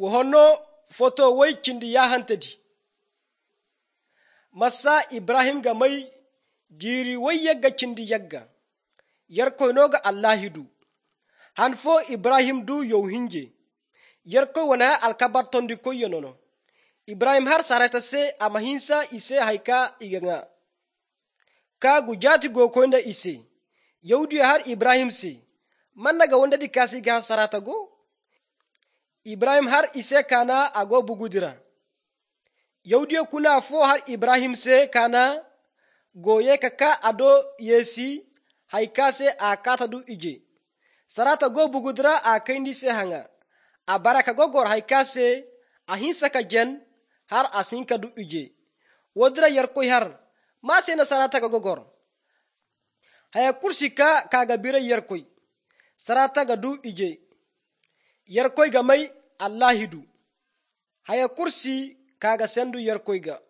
Wohonno foto wai kindi ya hantadi. Masa Ibrahim ga mai giri wai yagga kindi yagga. Yarko no ga Allahidu. Hanfo Ibrahim du yow hinje. Yarko wana alkabar tondi ko yonono. Ibrahim har sarata se amahinsa ise haika iganga. Ka gujati go koinda ise. Yahudiya har Ibrahim se. Manna ga wanda di kasi ga sarata go. Ibrahim har ise kana ago bugudira. Yahudiya kuna fo har Ibrahim se kana goye kaka ado yesi haika se akata du ije. Sarata go bugudira a kaindi se hanga. A baraka go gor haika se ahinsa ka jen har asinka du ije. Wodra yarkoy har ma se na sarata ga gogor. Haya kursi ka kaga bira yarkoy. Sarata ga du ije. Yarkoy ga mai Allahidu. Haya kursi kaga sendu yarkoy ga.